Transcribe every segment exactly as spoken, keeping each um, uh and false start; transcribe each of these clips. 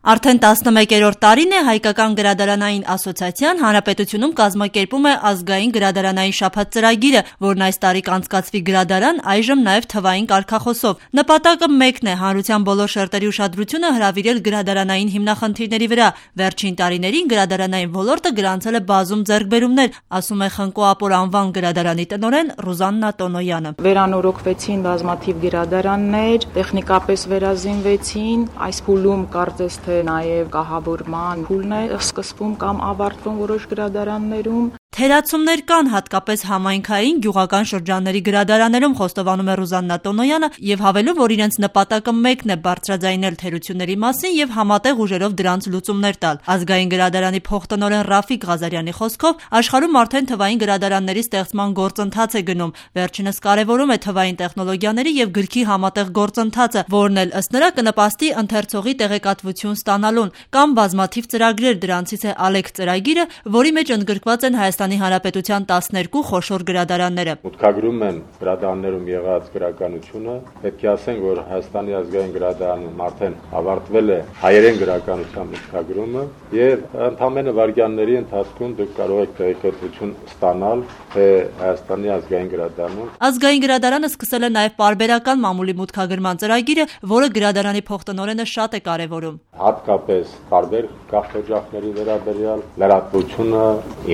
Արդեն տասնմեկերորդ տարին է Հայկական գրադարանային ասոցիացիան հանրապետությունում կազմակերպում է ազգային գրադարանային շաբաթ ծրագիրը, որն այս տարի կանցկացվի գրադարան, այժմ նաև թվային կարգախոսով։ Նպատակը մեկն է՝ հանրության բոլոր շերտերի ուշադրությունը հրավիրել գրադարանային հիմնախնդիրների վրա։ Վերջին տարիներին գրադարանային ոլորտը գրանցել է բազում ձեռքբերումներ, ասում է Խնկո Ապոր անվան գրադարանի տնօրեն Ռուզաննա Տոնոյանը։ Վերանորոգվեցին բազմաթիվ գրադարաններ, տեխնիկապես վերազինվեցին, այս փուլում կարծես թե նաև կահավորման փուլն է սկսվում կամ ավարտվում որոշ գրադարաններում։ Թերացումներ կան, հատկապես համայնքային, գյուղական շրջանների գրադարաններում, խոստովանում է Ռուզաննա Տոնոյանը եւ հավելում, որ իրենց նպատակը մեկն է՝ բարձրաձայնել թերությունների մասին եւ համատեղ ուժերով դրանց լուծումներ տալ։ Ազգային գրադարանի փոխտնօրեն Ռաֆիկ Ղազարյանի խոսքով, աշխարհում արդեն թվային գրադարանների ստեղծման գործընթաց է գնում։ Վերջինս կարևորում է թվային տեխնոլոգիաների եւ գրքի համատեղ գործընթացը, որն էլ ըստ նրա կնպաստի ընթերցողի տեղեկատվություն ստանալուն։ Կամ բազմաթիվ ծրագրեր, դրանցից է Ալեք ծրագիրը, որի մեջ ընդգրկված են Հայաստանի Հանրապետության տասներկու խոշոր գրադարանները։ Մուտքագրում են գրադարաններում եղած գրականությունը, պետք է ասենք, որ Հայաստանի ազգային գրադարանում արդեն ավարտվել է հայերեն գրականության մուտքագրումը եւ ընդամենը վայրկյանների ընթացքում դուք կարող եք տեղեկատվություն ստանալ, թե Հայաստանի ազգային գրադարանում։ Ազգային գրադարանը սկսել է նաև պարբերական մամուլի մուտքագրման ծրագիրը, որը գրադարանի փոխտնօրենը շատ է կարևորում։ Հատկապես տարբեր գաղթօջախների վերաբերյալ լրատվությունը,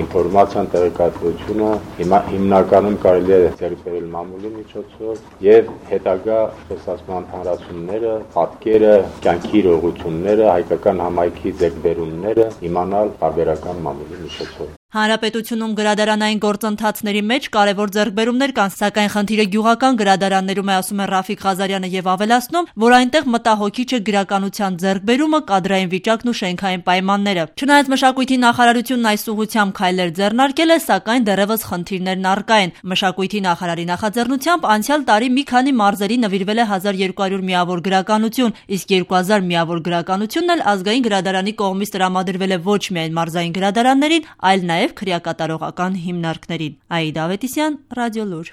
ինֆորմացիան, տեղեկատվությունը հիմա հիմնականում կարելի է ձեռք բերել մամուլի միջոցով եւ հետագա խոսացման հանրացումները, պատկերը, կյանքի իրողությունները, հայկական համայնքի ձեռքբերումները իմանալ տարբերական մամուլի միջոցով։ Հանրապետությունում գրադարանային գործընթացների մեջ կարևոր ձեռքբերումներ կան, սակայն խնդիրը գյուղական գրադարաններում է, ասում է Ռաֆիկ Ղազարյանը եւ ավելացնում, որ այնտեղ մտահոգիչ է գրականության ձեռքբերումը, կադրային վիճակն ու շենքային պայմանները։ Չնայած մշակույթի նախարարությունն այս ուղղությամբ քայլեր ձեռնարկել է, սակայն դեռևս խնդիրներն առկա են։ Մշակույթի նախարարի նախաձեռնությամբ անցյալ տարի մի քանի մարզերի նվիրվել է հազար երկու հարյուր միավոր գրականություն, իսկ երկու հազար միավոր գրականությունն էլ ազգային գրադարանի կողմից տրամադրվել է ոչ միայն մարզային գրադարաններին, այլ նաև քրեակատարողական հիմնարկներին։ Աիդա Ավետիսյան, Ռադիոլուր։